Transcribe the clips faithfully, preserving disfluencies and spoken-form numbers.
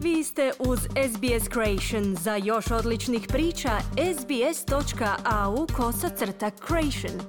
Vi ste uz S B S Creation. Za još odličnih priča, sbs.au kosacrta creation.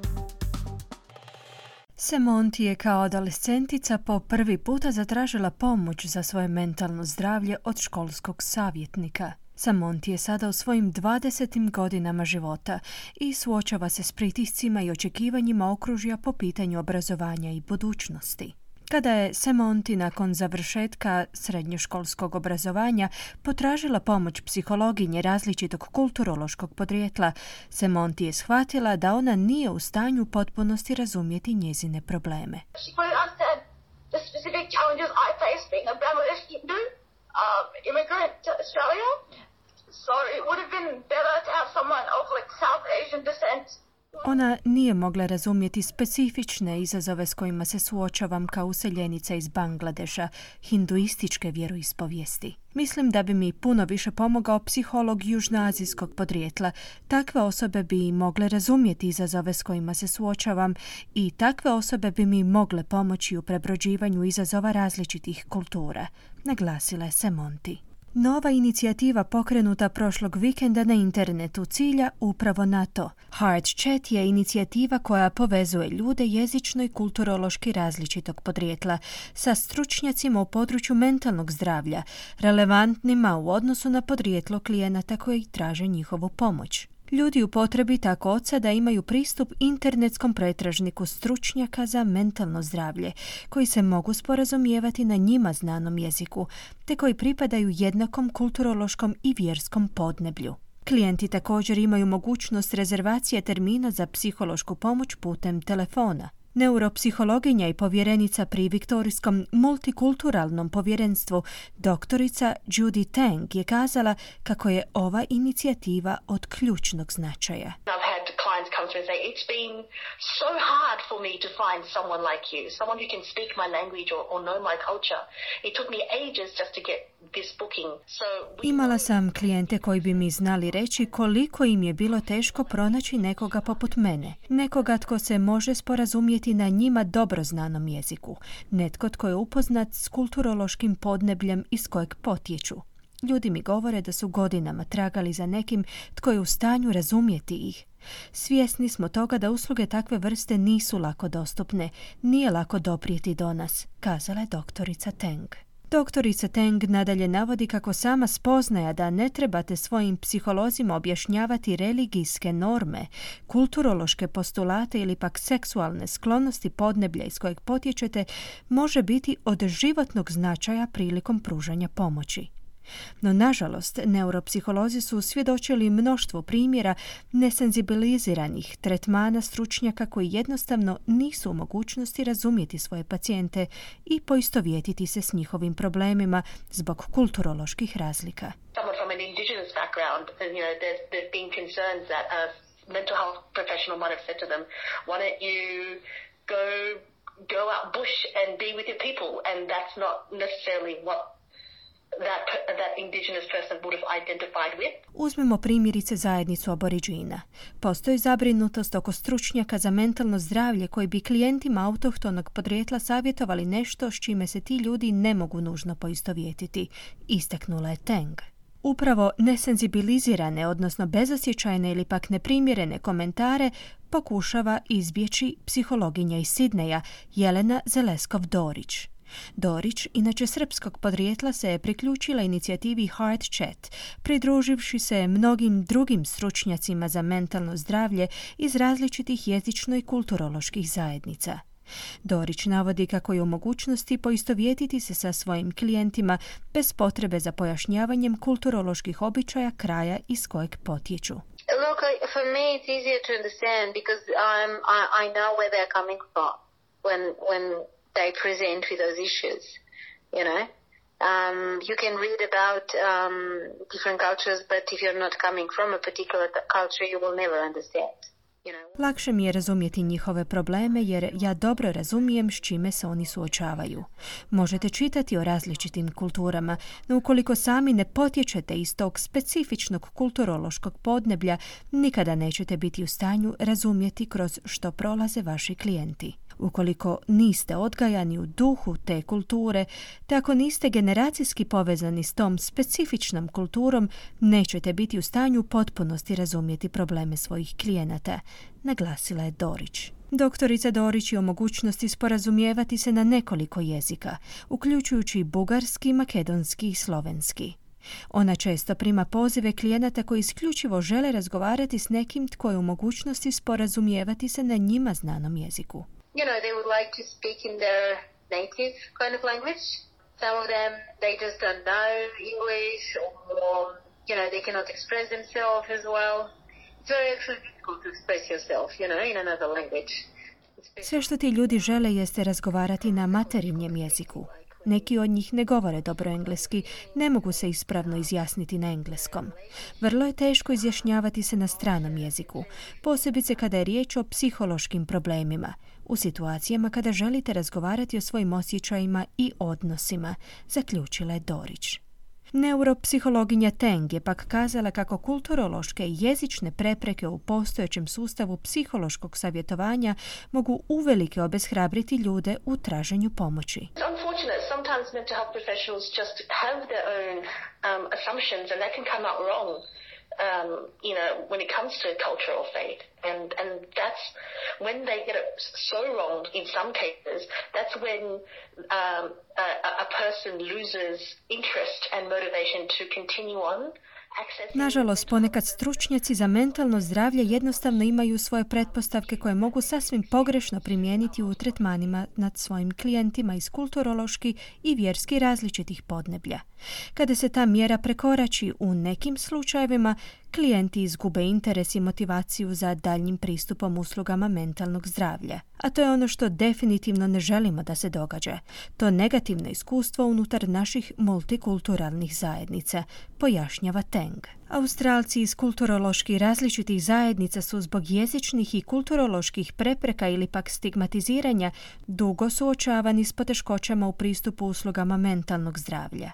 Semonti je kao adolescentica po prvi puta zatražila pomoć za svoje mentalno zdravlje od školskog savjetnika. Semonti je sada u svojim dvadesetim godinama života i suočava se s pritiscima i očekivanjima okružja po pitanju obrazovanja i budućnosti. Kada je Semonti nakon završetka srednjoškolskog obrazovanja potražila pomoć psihologinje različitog kulturološkog podrijetla, Semonti je shvatila da ona nije u stanju u potpunosti razumjeti njezine probleme. Ona nije mogla razumjeti specifične izazove s kojima se suočavam kao useljenica iz Bangladeša, hinduističke vjeroispovijesti. Mislim da bi mi puno više pomogao psiholog južnoazijskog podrijetla. Takve osobe bi mogle razumjeti izazove s kojima se suočavam i takve osobe bi mi mogle pomoći u prebrođivanju izazova različitih kultura, naglasila je Semonti. Nova inicijativa pokrenuta prošlog vikenda na internetu cilja upravo na to. Heart Chat je inicijativa koja povezuje ljude jezično i kulturološki različitog podrijetla sa stručnjacima u području mentalnog zdravlja, relevantnima u odnosu na podrijetlo klijenata koji traže njihovu pomoć. Ljudi u potrebi tako od sada imaju pristup internetskom pretražniku stručnjaka za mentalno zdravlje, koji se mogu sporazumijevati na njima znanom jeziku, te koji pripadaju jednakom kulturološkom i vjerskom podneblju. Klijenti također imaju mogućnost rezervacije termina za psihološku pomoć putem telefona. Neuropsihologinja i povjerenica pri Viktorijskom multikulturalnom povjerenstvu doktorica Judy Tang je kazala kako je ova inicijativa od ključnog značaja. Clients come through and say, it's been so hard for me to find someone like you, someone who can speak my language or, or know my culture. It took me ages just to get this booking. So we... Imala sam klijente koji bi mi znali reći koliko im je bilo teško pronaći nekoga poput mene. Nekoga tko se može sporazumjeti na njima dobro znanom jeziku. Netko tko je upoznat s kulturološkim podnebljem iz kojeg potječu. Ljudi mi govore da su godinama tragali za nekim tko je u stanju razumjeti ih. Svjesni smo toga da usluge takve vrste nisu lako dostupne, nije lako doprijeti do nas, kazala je doktorica Tang. Doktorica Tang nadalje navodi kako sama spoznaja da ne trebate svojim psiholozima objašnjavati religijske norme, kulturološke postulate ili pak seksualne sklonosti podneblja iz kojeg potječete može biti od životnog značaja prilikom pružanja pomoći. No, nažalost, neuropsiholozi su svjedočili mnoštvo primjera nesenzibiliziranih tretmana stručnjaka koji jednostavno nisu u mogućnosti razumjeti svoje pacijente i poistovjetiti se s njihovim problemima zbog kulturoloških razlika. Someone from an indigenous background, you know, there's, there's been concerns that a mental health professional might have said to them, why don't you go, go out bush and be with your people? And that's not necessarily what That, that indigenous person would have identified with. Uzmimo primjerice zajednicu aboriđina. Postoji zabrinutost oko stručnjaka za mentalno zdravlje koji bi klijentima autohtonog podrijetla savjetovali nešto s čime se ti ljudi ne mogu nužno poistovjetiti, istaknula je Tang. Upravo nesenzibilizirane, odnosno bezosjećajne ili pak neprimjerene komentare pokušava izbjeći psihologinja iz Sidneja Jelena Zeleskov-Dorić. Dorić, inače srpskog podrijetla, se je priključila inicijativi Heart Chat, pridruživši se mnogim drugim stručnjacima za mentalno zdravlje iz različitih jezično i kulturoloških zajednica. Dorić navodi kako je u mogućnosti poistovjetiti se sa svojim klijentima bez potrebe za pojašnjavanjem kulturoloških običaja kraja iz kojeg potječu. Look, for me it's easier to understand because I'm, I, I know where they're coming from when, when they present with those issues, you know. Um, you can read about um, different cultures, but if you're not coming from a particular culture, you will never understand. You know. Lakše mi je razumjeti njihove probleme jer ja dobro razumijem s čime se oni suočavaju. Možete čitati o različitim kulturama, no ukoliko sami ne potječete iz tog specifičnog kulturološkog podneblja, nikada nećete biti u stanju razumjeti kroz što prolaze vaši klijenti. Ukoliko niste odgajani u duhu te kulture, te ako niste generacijski povezani s tom specifičnom kulturom, nećete biti u stanju u potpunosti razumjeti probleme svojih klijenata, naglasila je Dorić. Doktorica Dorić je o mogućnosti sporazumijevati se na nekoliko jezika, uključujući bugarski, makedonski i slovenski. Ona često prima pozive klijenata koji isključivo žele razgovarati s nekim tko je u mogućnosti sporazumijevati se na njima znanom jeziku. You know, they would like to speak in their native kind of language. Some of them, they just don't know English, or, you know, they cannot express themselves as well. It's very actually difficult to express yourself, you know, in another language. Sve što ti ljudi žele jeste razgovarati na materinjem jeziku. Neki od njih ne govore dobro engleski, ne mogu se ispravno izjasniti na engleskom. Vrlo je teško izjašnjavati se na stranom jeziku, posebice kada je riječ o psihološkim problemima, u situacijama kada želite razgovarati o svojim osjećajima i odnosima, zaključila je Dorić. Neuropsihologinja Teng je pak kazala kako kulturološke i jezične prepreke u postojećem sustavu psihološkog savjetovanja mogu uvelike obeshrabriti ljude u traženju pomoći. Unfortunate, sometimes mental health professionals just have their own um, assumptions and that can come out wrong. Um, you know, when it comes to culture or faith. And, and that's when they get it so wrong in some cases, that's when um, a, a person loses interest and motivation to continue on. Nažalost, ponekad stručnjaci za mentalno zdravlje jednostavno imaju svoje pretpostavke koje mogu sasvim pogrešno primijeniti u tretmanima nad svojim klijentima iz kulturološki i vjerski različitih podneblja. Kada se ta mjera prekorači u nekim slučajevima, klijenti izgube interes i motivaciju za daljnjim pristupom uslugama mentalnog zdravlja. A to je ono što definitivno ne želimo da se događa. To negativno iskustvo unutar naših multikulturalnih zajednica, pojašnjava Teng. Australci iz kulturološki različitih zajednica su zbog jezičnih i kulturoloških prepreka ili pak stigmatiziranja dugo suočavani s poteškoćama u pristupu uslugama mentalnog zdravlja.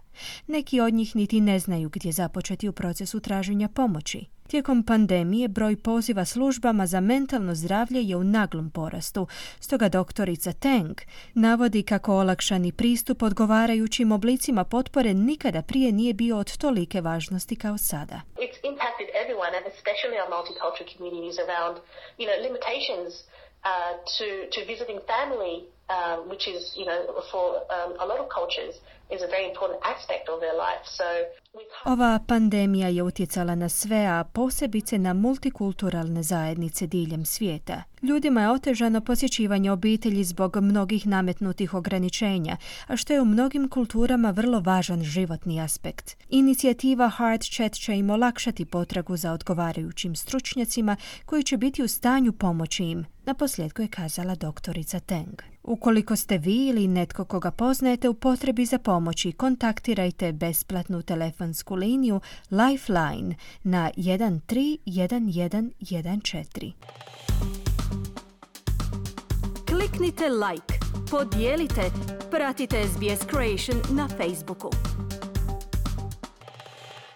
Neki od njih niti ne znaju gdje započeti u procesu traženja pomoći. Tijekom pandemije broj poziva službama za mentalno zdravlje je u naglom porastu, stoga doktorica Teng navodi kako olakšani pristup odgovarajućim oblicima potpore nikada prije nije bio od tolike važnosti kao sada. It's impacted everyone and especially our multicultural communities around, you know, limitations uh, to, to visiting family, um, which is, you know, for um, a lot of cultures is a very important aspect of their life. So ova pandemija je utjecala na sve, a posebice na multikulturalne zajednice diljem svijeta. Ljudima je otežano posjećivanje obitelji zbog mnogih nametnutih ograničenja, a što je u mnogim kulturama vrlo važan životni aspekt. Inicijativa Heart Chat će im olakšati potragu za odgovarajućim stručnjacima koji će biti u stanju pomoći im, naposljetku je kazala doktorica Teng. Ukoliko ste vi ili netko koga poznajete u potrebi za pomoći, kontaktirajte besplatnu telefonsku liniju Lifeline na jedan tri jedan jedan jedan četiri. Kliknite like, podijelite, pratite S B S Creation na Facebooku.